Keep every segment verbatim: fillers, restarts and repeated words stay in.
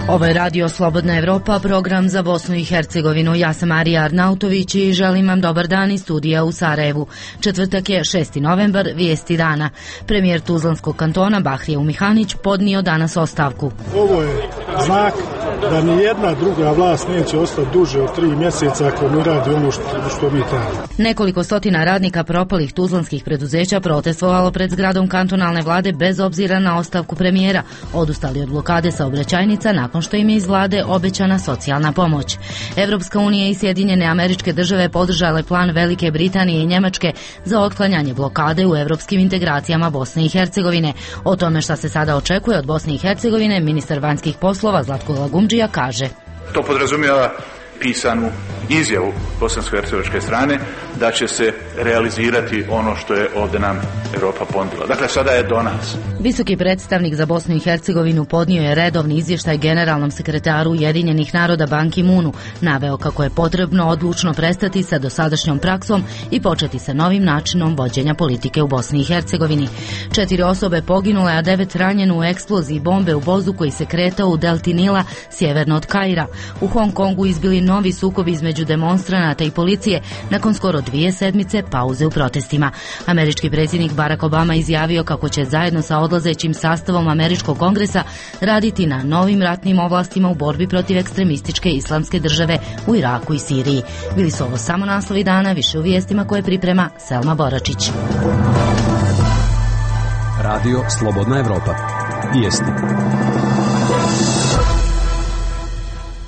Ovo je Radio Slobodna Evropa, program za Bosnu i Hercegovinu. Ja sam Marija Arnautović i želim vam dobar dan iz studija u Sarajevu. Četvrtak je šesti novembar, vijesti dana. Premijer Tuzlanskog kantona Bahrija Umihanić podnio danas ostavku. Ovo je znak da ni jedna druga vlast neće ostati duže od tri mjeseca ako mi radi ono što, što mi trebamo. Nekoliko stotina radnika propalih tuzlanskih preduzeća protestovalo pred zgradom kantonalne vlade bez obzira na ostavku premijera. Odustali od blokade saobraćajnica nakon što im je iz vlade obećana socijalna pomoć. Evropska unija i Sjedinjene Američke Države podržale plan Velike Britanije i Njemačke za otklanjanje blokade u evropskim integracijama Bosne i Hercegovine. O tome šta se sada očekuje od Bosne i Hercegovine, ministar vanjskih poslova Zlatko Lagumdžija kaže: To podrazumijeva pisanu izjavu bosansko-hercegovačke strane da će se realizirati ono što je ovdje nam Europa ponudila. Dakle, sada je do nas. Visoki predstavnik za Bosnu i Hercegovinu podnio je redovni izvještaj generalnom sekretaru Ujedinjenih naroda Ban Ki-moonu, naveo kako je potrebno odlučno prestati sa dosadašnjom praksom i početi sa novim načinom vođenja politike u Bosni i Hercegovini. Četiri osobe poginule, a devet ranjeno u eksploziji bombe u vozu koji se kretao u delti Nila sjeverno od Kaira. U Hong Kongu izbili novi sukobi između demonstranata i policije nakon skoro dvije sedmice pauze u protestima. Američki predsjednik Barack Obama izjavio kako će zajedno sa odlazećim sastavom Američkog kongresa raditi na novim ratnim ovlastima u borbi protiv ekstremističke islamske države u Iraku i Siriji. Bili su ovo samo naslovi dana, više u vijestima koje priprema Selma Boračić. Radio Slobodna Evropa. Vijesti.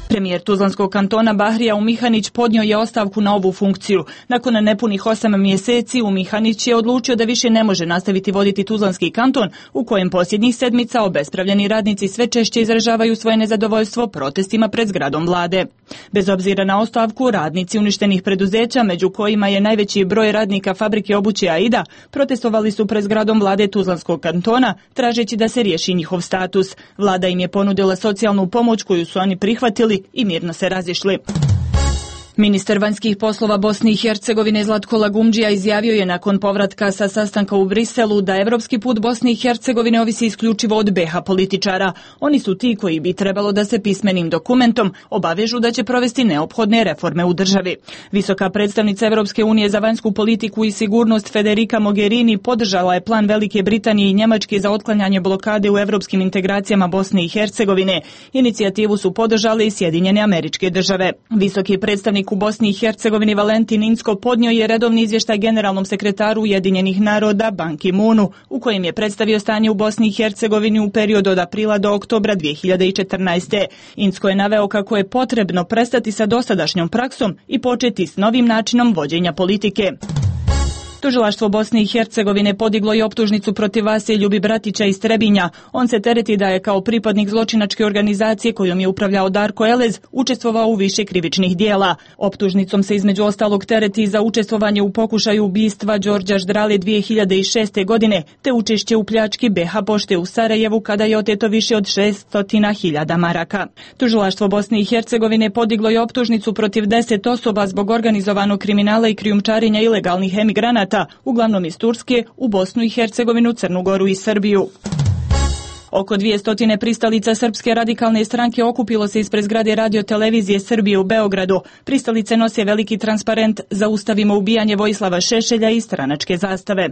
Premijer Tuzlanskog kantona Bahrija Umihanić podnio je ostavku na ovu funkciju. Nakon nepunih osam mjeseci Umihanić je odlučio da više ne može nastaviti voditi Tuzlanski kanton, u kojem posljednjih sedmica obespravljeni radnici sve češće izražavaju svoje nezadovoljstvo protestima pred zgradom vlade. Bez obzira na ostavku, radnici uništenih preduzeća, među kojima je najveći broj radnika fabrike obuće Aida, protestovali su pred zgradom vlade Tuzlanskog kantona, tražeći da se riješi njihov status. Vlada im je ponudila socijalnu pomoć koju su oni prihvatili i mirno se razišli. Ministar vanjskih poslova Bosne i Hercegovine Zlatko Lagumdžija izjavio je nakon povratka sa sastanka u Briselu da evropski put Bosne i Hercegovine ovisi isključivo od B iH političara. Oni su ti koji bi trebalo da se pismenim dokumentom obavežu da će provesti neophodne reforme u državi. Visoka predstavnica Evropske unije za vanjsku politiku i sigurnost Federica Mogherini podržala je plan Velike Britanije i Njemačke za otklanjanje blokade u evropskim integracijama Bosne i Hercegovine. Inicijativu su podržale i Sjedinjene Američke Države. Visoki predstavnik u Bosni i Hercegovini Valentin Inzko podnio je redovni izvještaj generalnom sekretaru Ujedinjenih naroda Ban Ki-moonu, u kojem je predstavio stanje u Bosni i Hercegovini u periodu od aprila do oktobra dvije hiljade četrnaeste. Inzko je naveo kako je potrebno prestati sa dosadašnjom praksom i početi s novim načinom vođenja politike. Tužilaštvo Bosne i Hercegovine podiglo je optužnicu protiv Vase Ljubi Bratića iz Trebinja. On se tereti da je kao pripadnik zločinačke organizacije kojom je upravljao Darko Elez učestvovao u više krivičnih dijela. Optužnicom se između ostalog tereti za učestvovanje u pokušaju ubistva Đorđa Ždrale dvije hiljade šeste. godine, te učešće u pljački B iH pošte u Sarajevu kada je oteto više od šesnaest hiljada maraka. Tužilaštvo Bosne i Hercegovine podiglo je optužnicu protiv deset osoba zbog organizovanog kriminala i krijumčarenja ilegalnih emigranata, uglavnom iz Turske, u Bosnu i Hercegovinu, Crnu Goru i Srbiju. Oko dvije pristalica Srpske radikalne stranke okupilo se ispred zgrade Radio-televizije Srbije u Beogradu. Pristalice nose veliki transparent "Zaustavimo ubijanje Vojislava Šešelja" i stranačke zastave.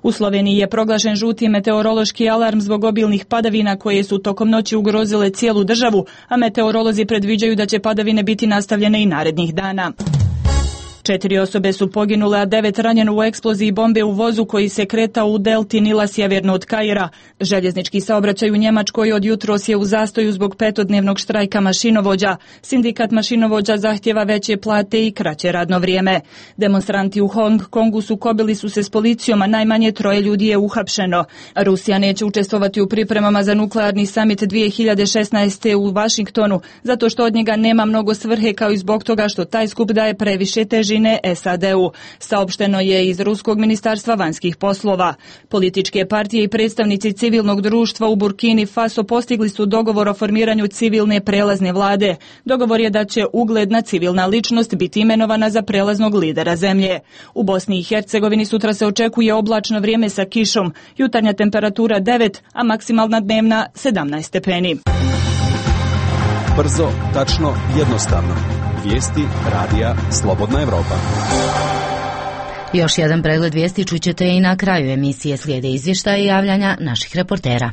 U Sloveniji je proglašen žuti meteorološki alarm zbog obilnih padavina koje su tokom noći ugrozile cijelu državu, a meteorolozi predviđaju da će padavine biti nastavljene i narednih dana. Četiri osobe su poginule, a devet ranjeno u eksploziji bombe u vozu koji se kretao u delti Nila sjeverno od Kaira. Željeznički saobraćaj u Njemačkoj od jutros je u zastoju zbog petodnevnog štrajka mašinovođa. Sindikat mašinovođa zahtjeva veće plate i kraće radno vrijeme. Demonstranti u Hong Kongu sukobili su se s policijom, a najmanje troje ljudi je uhapšeno. Rusija neće učestvovati u pripremama za nuklearni samit dvije hiljade šesnaeste. u Vašingtonu, zato što od njega nema mnogo svrhe, kao i zbog toga što taj skup daje previše težine Hercegovine S A D-u, saopšteno je iz Ruskog ministarstva vanjskih poslova. Političke partije i predstavnici civilnog društva u Burkini Faso postigli su dogovor o formiranju civilne prelazne vlade. Dogovor je da će ugledna civilna ličnost biti imenovana za prelaznog lidera zemlje. U Bosni i Hercegovini sutra se očekuje oblačno vrijeme sa kišom, jutarnja temperatura devet, a maksimalna dnevna sedamnaest stepeni. Brzo, tačno, jednostavno. Vijesti radija Slobodna Evropa. Još jedan pregled vijesti čućete i na kraju emisije, slijede izvještaje i javljanja naših reportera.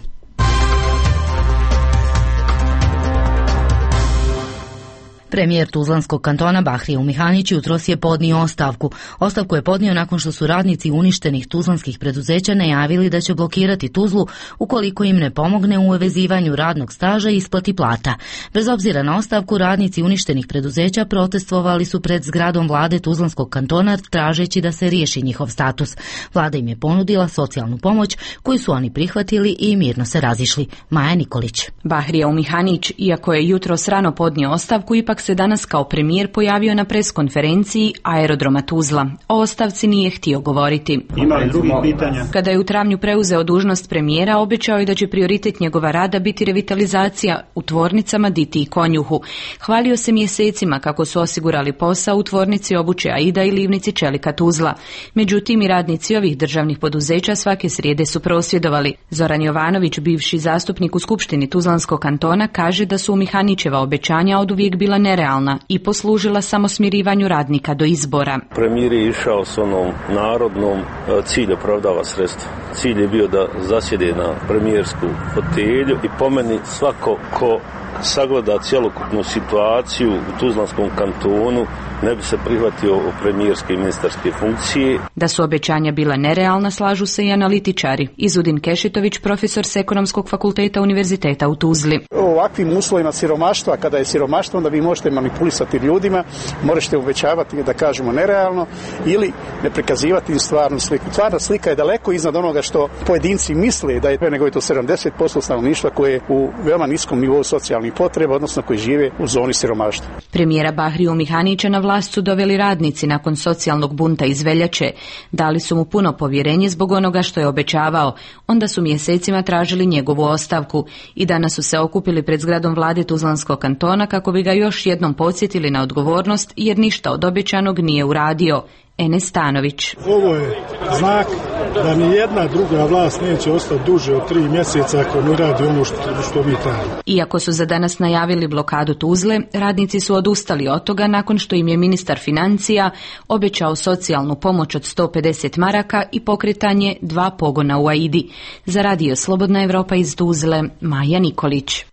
Premijer Tuzlanskog kantona Bahrija Umihanić jutros je podnio ostavku. Ostavku je podnio nakon što su radnici uništenih tuzlanskih preduzeća najavili da će blokirati Tuzlu ukoliko im ne pomogne u uvezivanju radnog staža i isplati plata. Bez obzira na ostavku, radnici uništenih preduzeća protestovali su pred zgradom vlade Tuzlanskog kantona tražeći da se riješi njihov status. Vlada im je ponudila socijalnu pomoć koju su oni prihvatili i mirno se razišli. Maja Nikolić. Bahrija Umihanić, iako je jutros rano podnio ostavku, ipak se danas kao premijer pojavio na preskonferenciji aerodroma Tuzla. O ostavci nije htio govoriti. Ima li drugih pitanja? Kada je u travnju preuzeo dužnost premijera, obećao je da će prioritet njegova rada biti revitalizacija u tvornicama Diti i Konjuhu. Hvalio se mjesecima kako su osigurali posao u tvornici obuće Aida i livnici čelika Tuzla. Međutim, i radnici ovih državnih poduzeća svake srijede su prosvjedovali. Zoran Jovanović, bivši zastupnik u Skupštini Tuzlanskog kantona, kaže da su Umihanićeva obećanja oduvijek bila nerealna i poslužila samo smirivanju radnika do izbora. Premijer je išao s onom narodnom cilj opravdava sredstva. Cilj je bio da zasjede na premijersku fotelju i po meni svako ko sagleda cjelokupnu situaciju u Tuzlanskom kantonu ne bi se prihvatio premijerske i ministarske funkcije. Da su obećanja bila nerealna, slažu se i analitičari. Izudin Kešitović, profesor s Ekonomskog fakulteta Univerziteta u Tuzli. U ovakvim uslovima siromaštva, kada je siromaštvo, onda vi možete manipulisati ljudima, možete obećavati da kažemo nerealno ili ne prikazivati im stvarnu sliku. Stvarna slika je daleko iznad onoga što pojedinci misle da je, nego je to sedamdeset posto stanovništva koje je u veoma niskom nivou socijalnih potreba, odnosno koji žive u zoni siromaštva. Premijera Bahriju Umihanića na vlast su doveli radnici nakon socijalnog bunta iz veljače. Dali su mu puno povjerenje zbog onoga što je obećavao. Onda su mjesecima tražili njegovu ostavku i danas su se okupili pred zgradom vlade Tuzlanskog kantona kako bi ga još jednom podsjetili na odgovornost jer ništa od obećanog nije uradio. Enes Stanović. Ovo je znak da ni jedna druga vlast neće ostati duže od tri mjeseca ako ne radi ono što, što mi trebamo. Iako su za danas najavili blokadu Tuzle, radnici su odustali od toga nakon što im je ministar financija obećao socijalnu pomoć od sto pedeset maraka i pokretanje dva pogona u Aidi. Za radio Slobodna Evropa iz Tuzle, Maja Nikolić.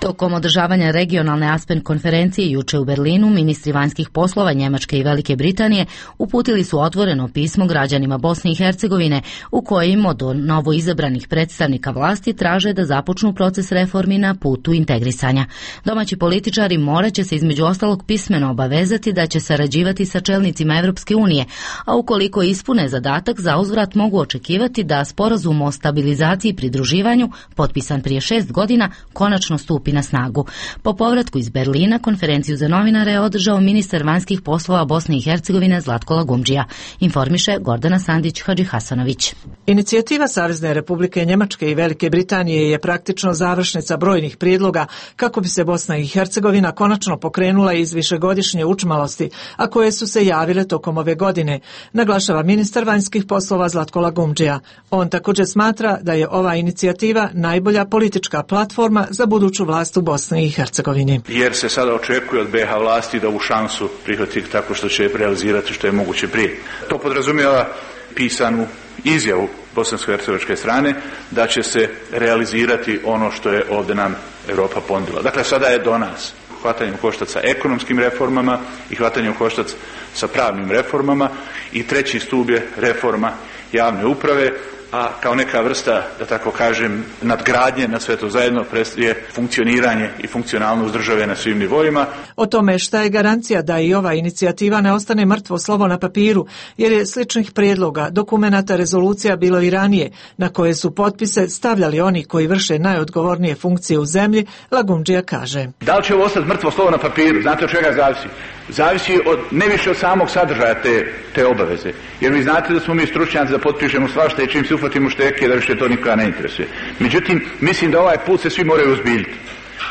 Tokom održavanja regionalne Aspen konferencije juče u Berlinu, ministri vanjskih poslova Njemačke i Velike Britanije uputili su otvoreno pismo građanima Bosne i Hercegovine u kojem od novo izabranih predstavnika vlasti traže da započnu proces reformi na putu integrisanja. Domaći političari morat će se između ostalog pismeno obavezati da će sarađivati sa čelnicima Evropske unije, a ukoliko ispune zadatak, za uzvrat mogu očekivati da sporazum o stabilizaciji i pridruživanju, potpisan prije šest godina, konačno stupi na snagu. Po povratku iz Berlina konferenciju za novinare je održao ministar vanjskih poslova Bosne i Hercegovine Zlatko Lagumdžija, informiše Gordana Sandić Hadžihasanović. Inicijativa Savezne Republike Njemačke i Velike Britanije je praktično završnica brojnih prijedloga kako bi se Bosna i Hercegovina konačno pokrenula iz višegodišnje učmalosti, a koje su se javile tokom ove godine, naglašava ministar vanjskih poslova Zlatko Lagumdžija. On također smatra da je ova inicijativa najbolja politička platforma za buduću vlast u Bosni i Hercegovini. Jer se sada očekuje od B iH vlasti da ovu šansu prihvati tako što će je realizirati što je moguće prije. To podrazumijeva pisanu izjavu bosansko-hercegovačke strane da će se realizirati ono što je ovdje nam Europa ponudila. Dakle, sada je do nas hvatanjem koštac sa ekonomskim reformama i hvatanjem koštac sa pravnim reformama i treći stup je reforma javne uprave a kao neka vrsta, da tako kažem, nadgradnje na sve to zajedno predstavlja funkcioniranje i funkcionalnost države na svim nivoima. O tome šta je garancija da i ova inicijativa ne ostane mrtvo slovo na papiru, jer je sličnih prijedloga, dokumenata, rezolucija bilo i ranije, na koje su potpise stavljali oni koji vrše najodgovornije funkcije u zemlji, Lagundžija kaže. Da li će ovo ostati mrtvo slovo na papiru? Znate od čega zavisi? Zavisi od, ne više od samog sadržaja te, te obaveze. Jer vi znate da smo mi stručnjaci da potpišemo svašta i čim se uhvatimo šteke da više to nikoga ne interesuje. Međutim, mislim da ovaj put se svi moraju ozbiljiti.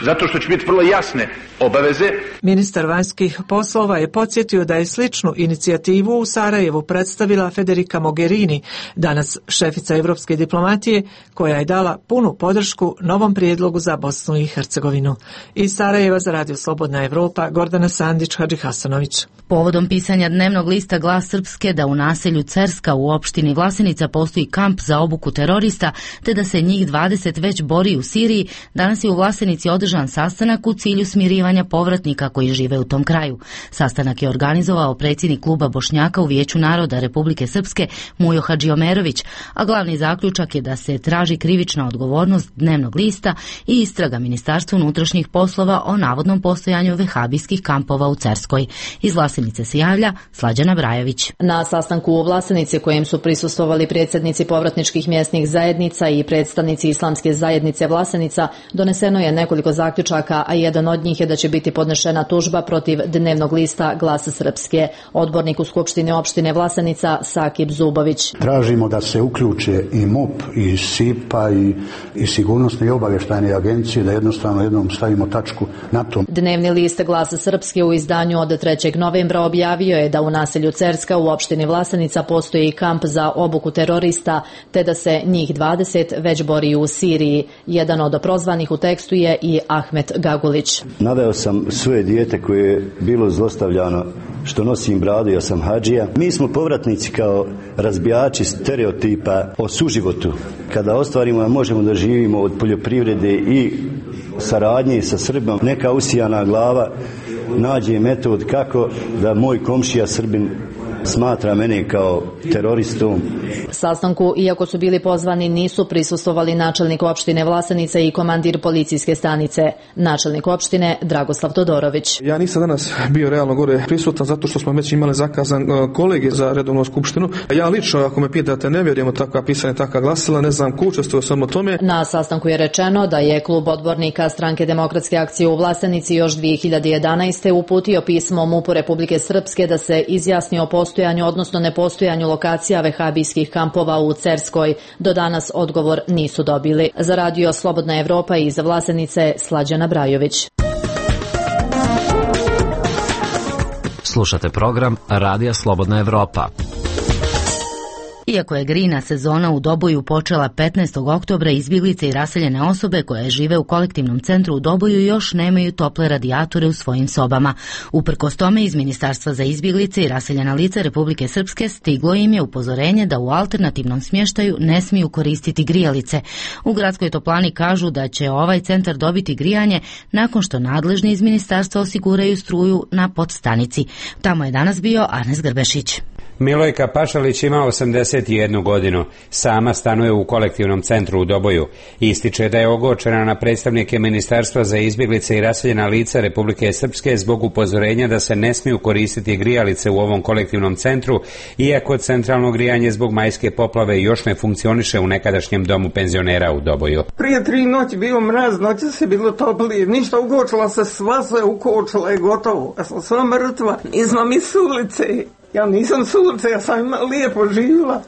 Zato što će biti vrlo jasne obaveze. Ministar vanjskih poslova je podsjetio da je sličnu inicijativu u Sarajevu predstavila Federica Mogherini, danas šefica evropske diplomatije, koja je dala punu podršku novom prijedlogu za Bosnu i Hercegovinu. Iz Sarajeva za Radio Slobodna Evropa, Gordana Sandić, Hadži Hasanović. Povodom pisanja dnevnog lista Glas Srpske da u naselju Cerska u opštini Vlasenica postoji kamp za obuku terorista, te da se njih dvadeset već bori u Siriji, danas je u Vlasenici održan sastanak u cilju smirivanja povratnika koji žive u tom kraju. Sastanak je organizovao predsjednik kluba Bošnjaka u Vijeću naroda Republike Srpske Mujo Hadžiomerović, a glavni zaključak je da se traži krivična odgovornost dnevnog lista i istraga Ministarstva unutrašnjih poslova o navodnom postojanju vehabijskih kampova u Cerskoj. Iz Vlasenice se javlja Slađana Brajović. Na sastanku u Vlasenici kojem su prisustvovali predsjednici povratničkih mjesnih zajednica i predstavnici Islamske zajednice Vlasenica, doneseno je nekoliko zaključaka, a jedan od njih je da će biti podnešena tužba protiv dnevnog lista Glasa Srpske. Odbornik u Skupštini opštine Vlasenica Sakib Zubović. Tražimo da se uključe i M U P, i S I P A, i, i sigurnosne i obavještajne agencije, da jednostavno jednom stavimo tačku na to. Dnevni list Glasa Srpske u izdanju od trećeg novembra objavio je da u naselju Cerska u opštini Vlasenica postoji kamp za obuku terorista, te da se njih dvadeset već bori u Siriji. Jedan od prozvanih u tekstu je i Ahmet Gagulić. Naveo sam svoje dijete koje je bilo zlostavljano što nosim bradu, ja sam hadžija. Mi smo povratnici kao razbijači stereotipa o suživotu. Kada ostvarimo da možemo da živimo od poljoprivrede i saradnje sa Srbom, neka usijana glava nađe metod kako da moj komšija Srbin smatra mene kao teroristom. Sastanku, iako su bili pozvani, nisu prisustvovali načelnik opštine Vlasenica i komandir policijske stanice. Načelnik opštine Dragoslav Todorović. Ja nisam danas bio realno gore prisutan zato što smo već imali zakazan kolege za redovnu skupštinu. Ja lično, ako me pitate, ne vjerujem u takva pisanja, takva glasila, ne znam ko učestvuje samo tome. Na sastanku je rečeno da je klub odbornika Stranke demokratske akcije u Vlasenici još dvije hiljade jedanaeste. uputio pismo M U P-u Republike Srpske da se izjasni o postojanju, odnosno nepostojanju lokacija vehabijskih kampova u Cerskoj. Do danas odgovor nisu dobili. Za Radio Slobodna Evropa iz Vlasenice, Slađana Brajović. Slušate program Radija Slobodna Evropa. Iako je grina sezona u Doboju počela petnaestog oktobra, izbjeglice i raseljene osobe koje žive u kolektivnom centru u Doboju još nemaju tople radijatore u svojim sobama. Uprkos tome, iz Ministarstva za izbjeglice i raseljena lica Republike Srpske stiglo im je upozorenje da u alternativnom smještaju ne smiju koristiti grijalice. U gradskoj toplani kažu da će ovaj centar dobiti grijanje nakon što nadležni iz ministarstva osiguraju struju na podstanici. Tamo je danas bio Arnes Grbešić. Milojka Pašalić ima osamdeset jednu godinu. Sama stanuje u kolektivnom centru u Doboju. Ističe da je ogorčena na predstavnike Ministarstva za izbjeglice i raseljena lica Republike Srpske zbog upozorenja da se ne smiju koristiti grijalice u ovom kolektivnom centru, iako centralno grijanje zbog majske poplave još ne funkcioniše u nekadašnjem domu penzionera u Doboju. Prije tri noći bio mraz, noći se bilo toplije, ništa, ukočila se, sva se ukočila i gotovo. Ja sam sva mrtva, nismo mi s ulice. Ja nisam s ulice, ja sam lijepo živjela.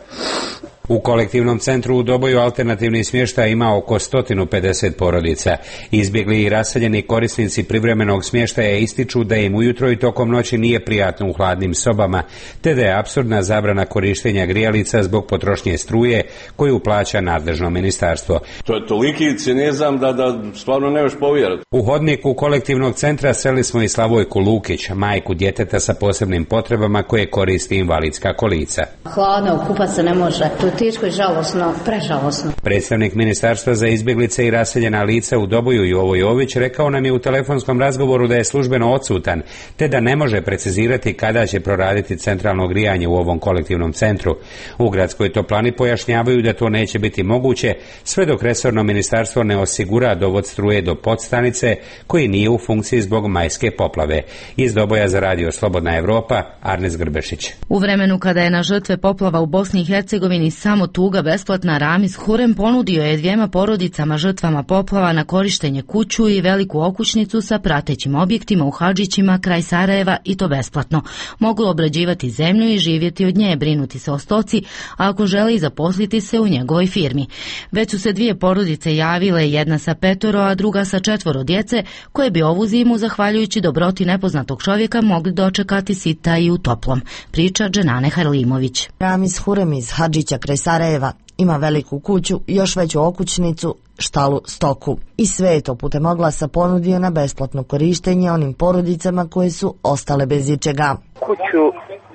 U kolektivnom centru u Doboju alternativni smještaj ima oko sto pedeset porodica. Izbjegli i raseljeni korisnici privremenog smještaja ističu da im ujutro i tokom noći nije prijatno u hladnim sobama, te da je apsurdna zabrana korištenja grijalica zbog potrošnje struje koju plaća nadležno ministarstvo. To je toliki cinizam da, da stvarno ne možeš povjerati. U hodniku kolektivnog centra sreli smo i Slavojku Lukić, majku djeteta sa posebnim potrebama koje koristi invalidska kolica. Hladno, kupat se ne može, tu Teško i žalosno, prežalosno. Predstavnik Ministarstva za izbjeglice i raseljena lica u Doboju Jovo Jović rekao nam je u telefonskom razgovoru da je službeno odsutan, te da ne može precizirati kada će proraditi centralno grijanje u ovom kolektivnom centru. U gradskoj toplani pojašnjavaju da to neće biti moguće sve dok resorno ministarstvo ne osigura dovod struje do podstanice koji nije u funkciji zbog majske poplave. Iz Doboja za radio Slobodna Evropa, Arnes Grbešić. U vremenu kada je na žrtve poplava u Bosni i Hercegovini samo tuga besplatna, Ramiz Hurem ponudio je dvijema porodicama žrtvama poplava na korištenje kuću i veliku okućnicu sa pratećim objektima u Hadžićima kraj Sarajeva i to besplatno. Mogu obrađivati zemlju i živjeti od nje, brinuti se o stoci, a ako želi zaposliti se u njegovoj firmi. Već su se dvije porodice javile, jedna sa petoro, a druga sa četvoro djece, koje bi ovu zimu, zahvaljujući dobroti nepoznatog čovjeka, mogli dočekati sita i u toplom. Priča Dženane Harlimović. Ramiz Hurem iz Hadžića kraj Sarajeva ima veliku kuću, još veću okućnicu, štalu, stoku. I sve je to putem oglasa ponudio na besplatno korištenje onim porodicama koje su ostale bez ičega. Kuću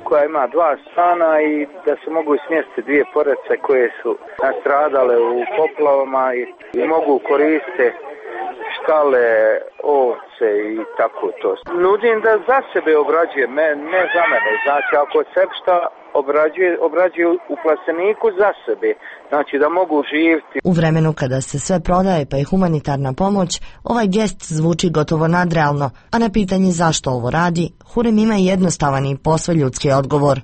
koja ima dva stana i da se mogu smjestiti dvije porodice koje su nastradale u poplavama i, i mogu koristiti štale, ovce i tako to. Nudim da za sebe obrađuje, ne, ne za mene. Znači, ako se šta obrađuje, obrađuje u plasteniku za sebe. Znači, da mogu živjeti. U vremenu kada se sve prodaje pa i humanitarna pomoć, ovaj gest zvuči gotovo nadrealno, a na pitanje zašto ovo radi, Hurem ima jednostavan i posve ljudski odgovor.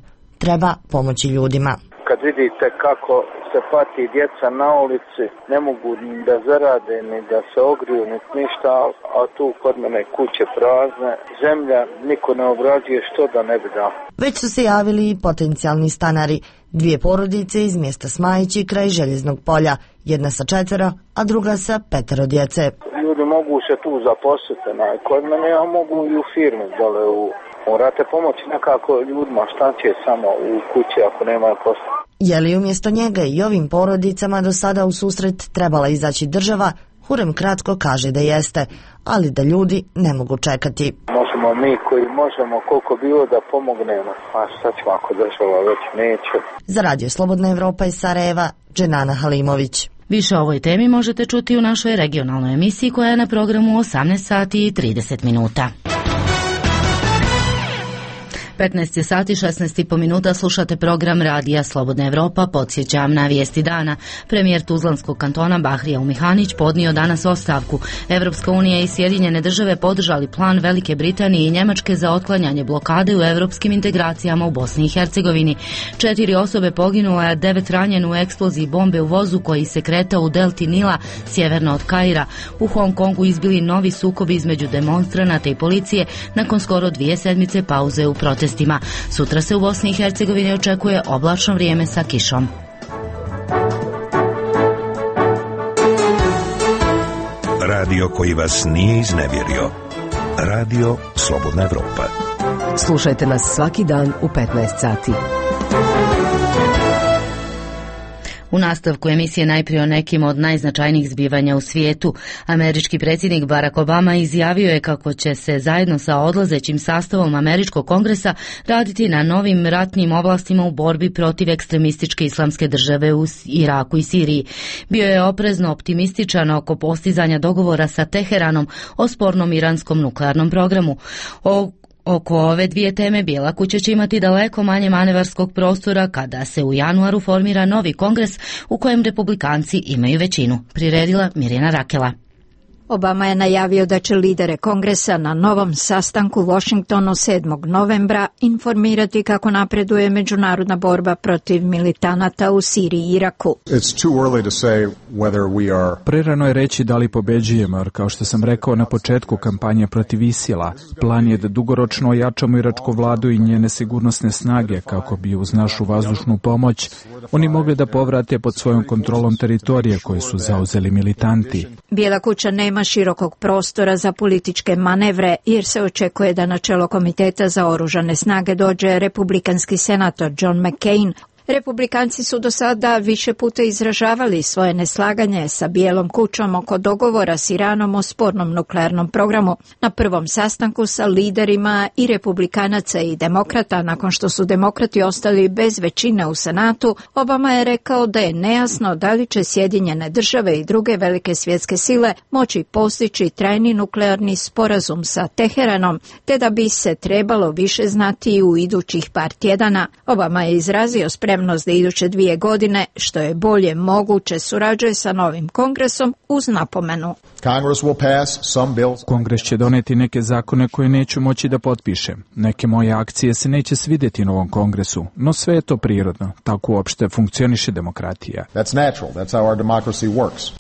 Treba pomoći ljudima. Kad vidite kako se pati djeca na ulici, ne mogu da zarade, ni da se ogriju, ni ništa, a tu kod mene kuće prazne, zemlja niko ne obrađuje, što da ne bi dao. Već su se javili i potencijalni stanari, dvije porodice iz mjesta Smajići kraj Željeznog polja, jedna sa četvero, a druga sa petero djece. Ljudi mogu se tu zaposliti, kod mene, a mogu i u firmi dole u... Morate pomoći nekako ljudima, šta će samo u kući ako nema posla. Je li umjesto njega i ovim porodicama do sada u susret trebala izaći država? Hurem kratko kaže da jeste, ali da ljudi ne mogu čekati. Možemo mi koji možemo koliko bilo da pomognemo, a šta ćemo ako država već neće. Za radio Slobodna Evropa iz Sarajeva, Dženana Halimović. Više o ovoj temi možete čuti u našoj regionalnoj emisiji koja je na programu osamnaest sati i trideset minuta. petnaest sati šesnaest i po minuta, slušate program Radija Slobodna Evropa. Podsjećam na vijesti dana. Premijer Tuzlanskog kantona Bahrija Umihanić podnio danas ostavku. Evropska unija i Sjedinjene države podržali plan Velike Britanije i Njemačke za otklanjanje blokade u evropskim integracijama u Bosni i Hercegovini. Četiri osobe poginule, a devet ranjene u eksploziji bombe u vozu koji se kretao u delti Nila, sjeverno od Kaira. U Hong Kongu izbili novi sukobi između demonstranata i policije nakon skoro dvije sedmice pauze u protestima. Sutra se u Bosni i Hercegovini očekuje oblačno vrijeme sa kišom. Radio koji vas nije iznevjerio. Radio Slobodna Evropa. Slušajte nas svaki dan u petnaest sati. U nastavku emisije najprije o nekim od najznačajnijih zbivanja u svijetu. Američki predsjednik Barack Obama izjavio je kako će se zajedno sa odlazećim sastavom Američkog kongresa raditi na novim ratnim oblastima u borbi protiv ekstremističke islamske države u Iraku i Siriji. Bio je oprezno optimističan oko postizanja dogovora sa Teheranom o spornom iranskom nuklearnom programu. O Oko ove dvije teme Bijela kuća će imati daleko manje manevarskog prostora kada se u januaru formira novi kongres u kojem republikanci imaju većinu. Priredila Mirjana Rakela. Obama je najavio da će lidere kongresa na novom sastanku u Washingtonu sedmog novembra informirati kako napreduje međunarodna borba protiv militanata u Siriji i Iraku. Prerano je reći da li pobeđujemo, jer kao što sam rekao na početku kampanje protiv Isila, plan je da dugoročno ojačamo iračku vladu i njene sigurnosne snage kako bi uz našu vazdušnu pomoć oni mogli da povrate pod svojom kontrolom teritorije koje su zauzeli militanti. Bijela kuća nema širokog prostora za političke manevre jer se očekuje da na čelo Komiteta za oružane snage dođe republikanski senator John McCain. Republikanci su do sada više puta izražavali svoje neslaganje sa Bijelom kućom oko dogovora s Iranom o spornom nuklearnom programu. Na prvom sastanku sa liderima i republikanaca i demokrata, nakon što su demokrati ostali bez većine u Senatu, Obama je rekao da je nejasno da li će Sjedinjene države i druge velike svjetske sile moći postići trajni nuklearni sporazum sa Teheranom, te da bi se trebalo više znati u idućih par tjedana. Obama je izrazio spremnost da iduće dvije godine, što je bolje moguće, surađuje sa novim kongresom uz napomenu. Kongres će doneti neke zakone koje neću moći da potpišem. Neke moje akcije se neće svidjeti novom kongresu, no sve je to prirodno. Tako uopšte funkcioniše demokratija. That's natural. That's how our democracy works.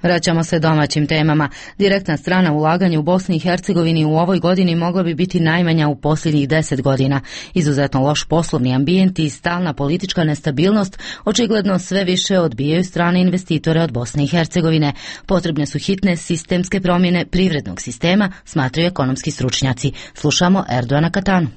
Vraćamo se domaćim temama. Direktna strana ulaganja u Bosni i Hercegovini u ovoj godini mogla bi biti najmanja u posljednjih deset godina. Izuzetno loš poslovni ambijent i stalna politička nestabilnost očigledno sve više odbijaju strane investitore od Bosne i Hercegovine. Potrebne su hitne sistemske promjene privrednog sistema, smatraju ekonomski stručnjaci. Slušamo Erdoana Katanu.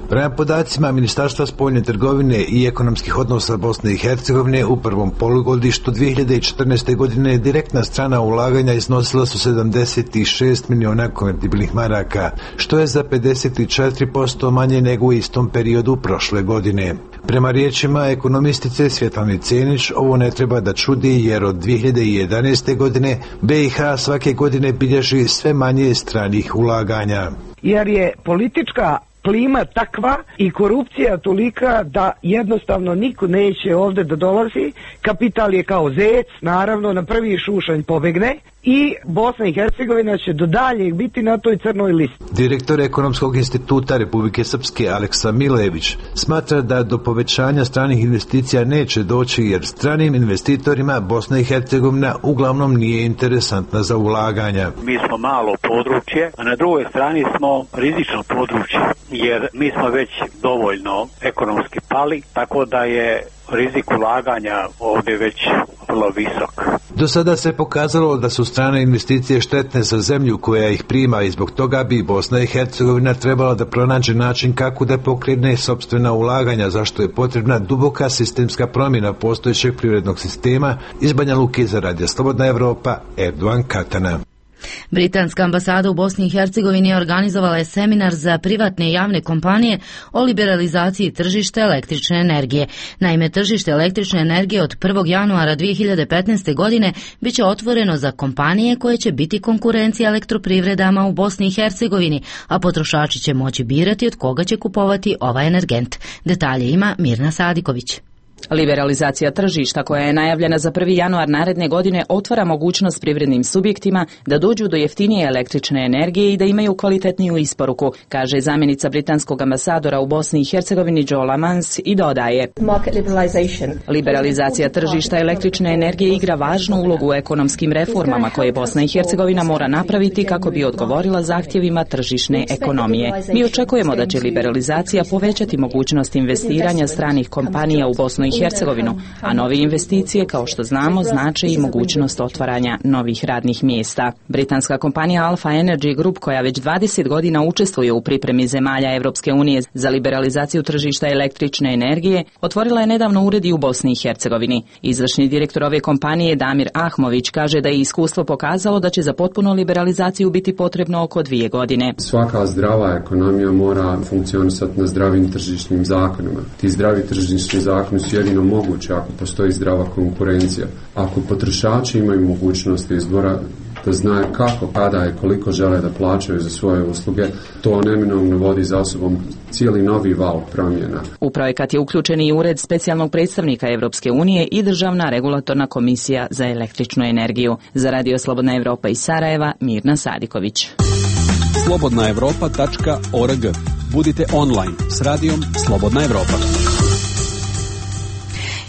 Prema podacima Ministarstva spoljne trgovine i ekonomskih odnosa Bosne i Hercegovine, u prvom polugodištu dvije hiljade četrnaeste. godine direktna strana ulaganja iznosila su sedamdeset šest miliona konvertibilnih maraka, što je za pedeset četiri posto manje nego u istom periodu prošle godine. Prema riječima ekonomistice Svjetlane Cenić, ovo ne treba da čudi jer od dvije hiljade jedanaeste. godine B i H svake godine bilježi sve manje stranih ulaganja. Jer je politička klima takva i korupcija tolika da jednostavno niko neće ovdje da dolazi. Kapital je kao zec, naravno na prvi šušanj pobegne i Bosna i Hercegovina će do daljeg biti na toj crnoj listi. Direktor Ekonomskog instituta Republike Srpske Aleksa Milević smatra da do povećanja stranih investicija neće doći jer stranim investitorima Bosna i Hercegovina uglavnom nije interesantna za ulaganja. Mi smo malo područje, a na drugoj strani smo rizično područje jer mi smo već dovoljno ekonomski pali, tako da je rizik ulaganja ovdje već vrlo visok. Do sada se pokazalo da su strane investicije štetne za zemlju koja ih prima i zbog toga bi Bosna i Hercegovina trebala da pronađe način kako da pokrene sopstvena ulaganja, zašto je potrebna duboka sistemska promjena postojećeg privrednog sistema. Iz Banja Luke za Radio Slobodna Evropa, Erdoan Katana. Britanska ambasada u Bosni i Hercegovini organizovala je seminar za privatne i javne kompanije o liberalizaciji tržišta električne energije. Naime, tržište električne energije od prvog januara dvije hiljade petnaeste. godine biće otvoreno za kompanije koje će biti konkurencija elektroprivredama u Bosni i Hercegovini, a potrošači će moći birati od koga će kupovati ovaj energent. Detalje ima Mirna Sadiković. Liberalizacija tržišta koja je najavljena za prvi januar naredne godine otvara mogućnost privrednim subjektima da dođu do jeftinije električne energije i da imaju kvalitetniju isporuku, kaže zamjenica britanskog ambasadora u Bosni i Hercegovini Joe Lamans i dodaje: Liberalizacija tržišta električne energije igra važnu ulogu u ekonomskim reformama koje Bosna i Hercegovina mora napraviti kako bi odgovorila zahtjevima tržišne ekonomije. Mi očekujemo da će liberalizacija povećati mogućnost investiranja stranih kompanija u Bosnu i Hercegovinu, a nove investicije, kao što znamo, znače i mogućnost otvaranja novih radnih mjesta. Britanska kompanija Alpha Energy Group, koja već dvadeset godina učestvuje u pripremi zemalja Europske unije za liberalizaciju tržišta električne energije, otvorila je nedavno ured i u Bosni i Hercegovini. Izvršni direktor ove kompanije Damir Ahmović kaže da je iskustvo pokazalo da će za potpunu liberalizaciju biti potrebno oko dvije godine. Svaka zdrava ekonomija mora funkcionisati na zdravim tržišnim zakonima. Ti zdravi tržišni zakoni su jedino moguće ako postoji zdrava konkurencija. Ako potrošači imaju mogućnost izbora da znaju kako, kada i koliko žele da plaćaju za svoje usluge, to neminovno vodi za sobom cijeli novi val promjena. U projekat je uključen i ured specijalnog predstavnika Europske unije i Državna regulatorna komisija za električnu energiju. Za Radio Slobodna Evropa iz Sarajeva, Mirna Sadiković. slobodna evropa tačka org. Budite online s radijom Slobodna Evropa.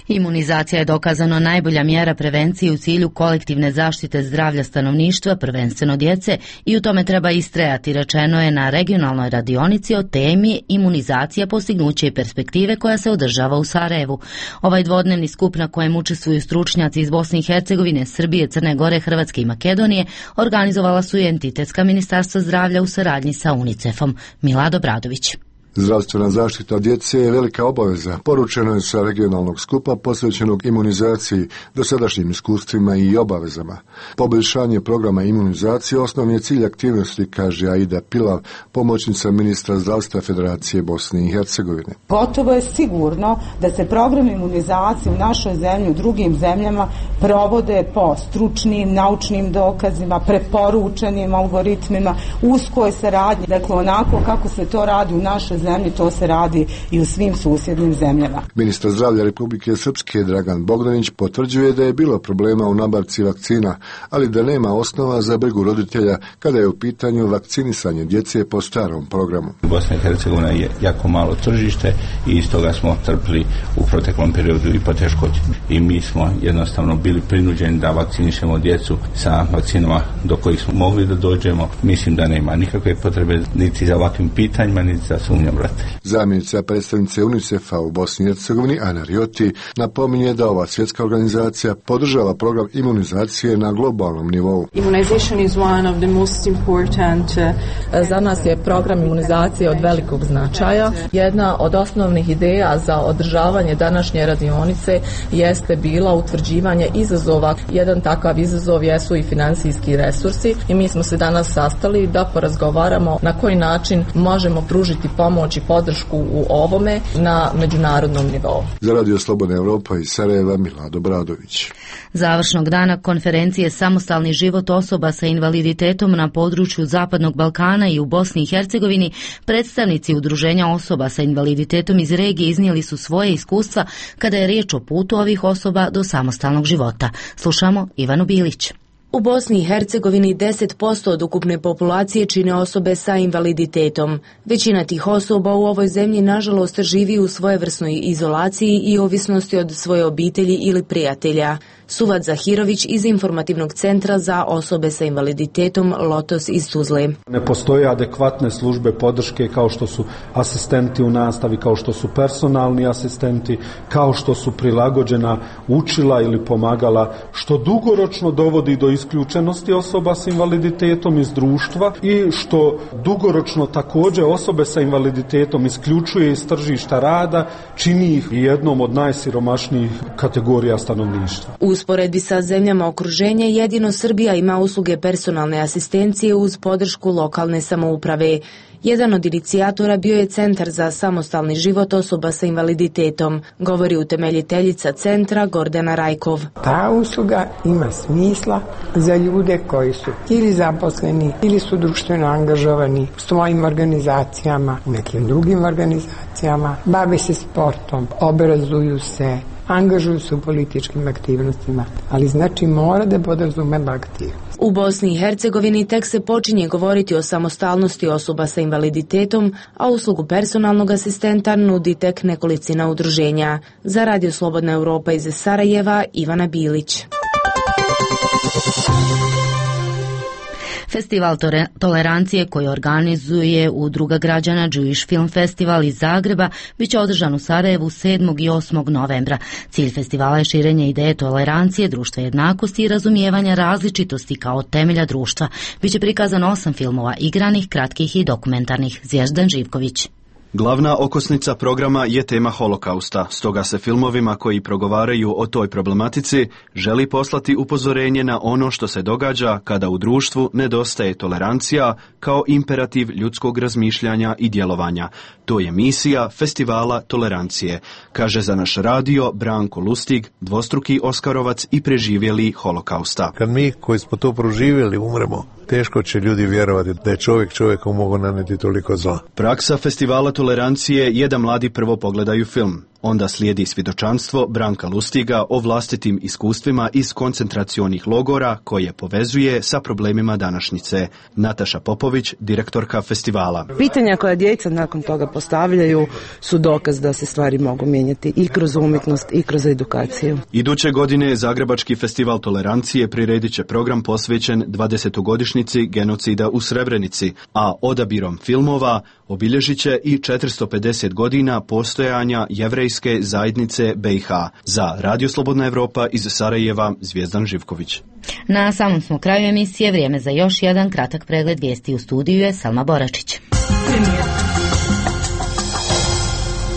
Imunizacija je dokazano najbolja mjera prevencije u cilju kolektivne zaštite zdravlja stanovništva, prvenstveno djece, i u tome treba istrajati, rečeno je na regionalnoj radionici o temi imunizacija, postignuće i perspektive, koja se održava u Sarajevu. Ovaj dvodnevni skup na kojem učestvuju stručnjaci iz Bosne i Hercegovine, Srbije, Crne Gore, Hrvatske i Makedonije organizovala su i entitetska ministarstva zdravlja u saradnji sa UNICEF-om. Milado Bradović. Zdravstvena zaštita djece je velika obaveza, poručeno je sa regionalnog skupa posvećenog imunizaciji, dosadašnjim iskustvima i obavezama. Poboljšanje programa imunizacije osnovni je cilj aktivnosti, kaže Aida Pilav, pomoćnica ministra zdravstva Federacije Bosne i Hercegovine. Gotovo je sigurno da se program imunizacije u našoj zemlji, u drugim zemljama provode po stručnim, naučnim dokazima, preporučenim algoritmima, uskoj saradnji. Dakle, onako kako se to radi u našoj zemlji, to se radi i u svim susjednim zemljama. Ministar zdravlja Republike Srpske Dragan Bogdanić potvrđuje da je bilo problema u nabavci vakcina, ali da nema osnova za brigu roditelja kada je u pitanju vakcinisanje djece po starom programu. Bosna i Hercegovina je jako malo tržište i iz toga smo trpili u proteklom periodu i poteškoće. I mi smo jednostavno bili prinuđeni da vakcinišemo djecu sa vakcinama do kojih smo mogli da dođemo. Mislim da nema nikakve potrebe niti za ovakvim pitanjima, niti za sumnjom roditelja. Zamjenica predstavnice UNICEF-a u Bosni i Hercegovini, Ana Rioti, napominje da ova svjetska organizacija podržava program imunizacije na globalnom nivou. Za nas je program imunizacije od velikog značaja. Jedna od osnovnih ideja za održavanje današnje radionice jeste bila utvrđivanje izazova. Jedan takav izazov jesu i financijski resursi i mi smo se danas sastali da porazgovaramo na koji način možemo pružiti pomoć i podršku u ovome na međunarodnom nivou. Za Radio Slobodna Evropa iz Sarajeva, Milado Bradović. Završnog dana konferencije Samostalni život osoba sa invaliditetom na području Zapadnog Balkana i u Bosni i Hercegovini, predstavnici udruženja osoba sa invaliditetom iz regije iznijeli su svoje iskustva kada je riječ o putu ovih osoba do samostalnog života. Slušamo Ivanu Bilić. U Bosni i Hercegovini deset posto od ukupne populacije čine osobe sa invaliditetom. Većina tih osoba u ovoj zemlji nažalost živi u svojevrsnoj izolaciji i ovisnosti od svoje obitelji ili prijatelja. Suvad Zahirović iz Informativnog centra za osobe sa invaliditetom Lotos iz Tuzle. Ne postoje adekvatne službe podrške kao što su asistenti u nastavi, kao što su personalni asistenti, kao što su prilagođena učila ili pomagala, što dugoročno dovodi do isključenosti osoba s invaliditetom iz društva i što dugoročno također osobe sa invaliditetom isključuje iz tržišta rada, čini ih jednom od najsiromašnijih kategorija stanovništva. U usporedbi sa zemljama okruženja jedino Srbija ima usluge personalne asistencije uz podršku lokalne samouprave. Jedan od inicijatora bio je Centar za samostalni život osoba sa invaliditetom, govori utemeljiteljica centra Gordana Rajkov. Ta usluga ima smisla za ljude koji su ili zaposleni ili su društveno angažovani u svojim organizacijama, u nekim drugim organizacijama, bave se sportom, obrazuju se, angažuju se u političkim aktivnostima, ali znači mora da podrazumeva aktivnost. U Bosni i Hercegovini tek se počinje govoriti o samostalnosti osoba sa invaliditetom, a uslugu personalnog asistenta nudi tek nekolicina udruženja. Za Radio Slobodna Evropa iz Sarajeva, Ivana Bilić. Festival tolerancije koji organizuje Udruga građana Jewish Film Festival iz Zagreba biće održan u Sarajevu sedmog i osmog novembra. Cilj festivala je širenje ideje tolerancije, društva jednakosti i razumijevanja različitosti kao temelja društva. Biće prikazano osam filmova, igranih, kratkih i dokumentarnih. Zvjezdan Živković. Glavna okosnica programa je tema holokausta, stoga se filmovima koji progovaraju o toj problematici želi poslati upozorenje na ono što se događa kada u društvu nedostaje tolerancija kao imperativ ljudskog razmišljanja i djelovanja. To je misija festivala tolerancije, kaže za naš radio Branko Lustig, dvostruki Oskarovac i preživjeli holokausta. Kad mi koji smo to proživjeli umremo, teško će ljudi vjerovati da je čovjek čovjeku mogu naneti toliko zla. Praksa festivala tolerancije je da mladi prvo pogledaju film. Onda slijedi svjedočanstvo Branka Lustiga o vlastitim iskustvima iz koncentracionih logora koje povezuje sa problemima današnjice. Nataša Popović, direktorka festivala. Pitanja koja djeca nakon toga postavljaju su dokaz da se stvari mogu mijenjati i kroz umjetnost i kroz edukaciju. Iduće godine Zagrebački festival tolerancije priredit će program posvećen dvadesetogodišnjici genocida u Srebrenici, a odabirom filmova obilježit će i četiristo pedeset godina postojanja jevrejske zajednice B i H. Za Radio Slobodna Evropa iz Sarajeva, Zvjezdan Živković. Na samom smo kraju emisije, vrijeme za još jedan kratak pregled vijesti. U studiju je Salma Boračić.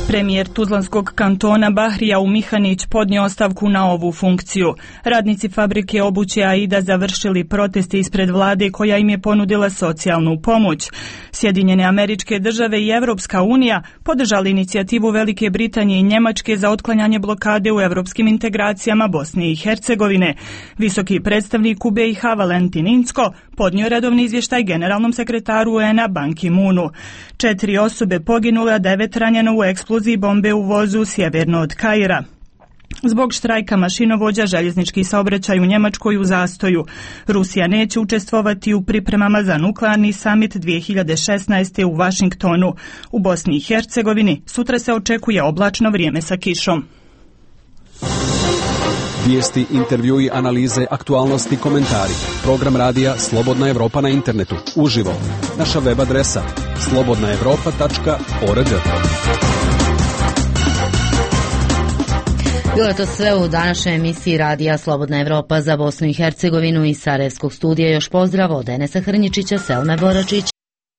Premijer Tuzlanskog kantona Bahrija Umihanić podnio ostavku na ovu funkciju. Radnici fabrike obuće Aida završili proteste ispred vlade koja im je ponudila socijalnu pomoć. Sjedinjene Američke Države i Evropska unija podržali inicijativu Velike Britanije i Njemačke za otklanjanje blokade u evropskim integracijama Bosne i Hercegovine. Visoki predstavnik u B i H Valentin Incko podnio redovni izvještaj generalnom sekretaru U N-a Ban Ki-moonu. Četiri osobe poginule, a devet ranjeno u eksploziji bombe u vozu sjeverno od Kaira. Zbog štrajka mašinovođa željeznički saobraćaj u Njemačkoj u zastoju. Rusija neće učestvovati u pripremama za nuklearni samit dvije hiljade šesnaeste. u Vašingtonu. U Bosni i Hercegovini sutra se očekuje oblačno vrijeme sa kišom. Vijesti, intervjui, analize, aktualnosti, komentari. Program radija Slobodna Evropa na internetu. Uživo. Naša web adresa slobodna evropa tačka org. Bilo je to sve u današnjoj emisiji radija Slobodna Evropa za Bosnu i Hercegovinu. Iz Sarajevskog studija još pozdrav od Enesa Hrnjičića, Selme Boračić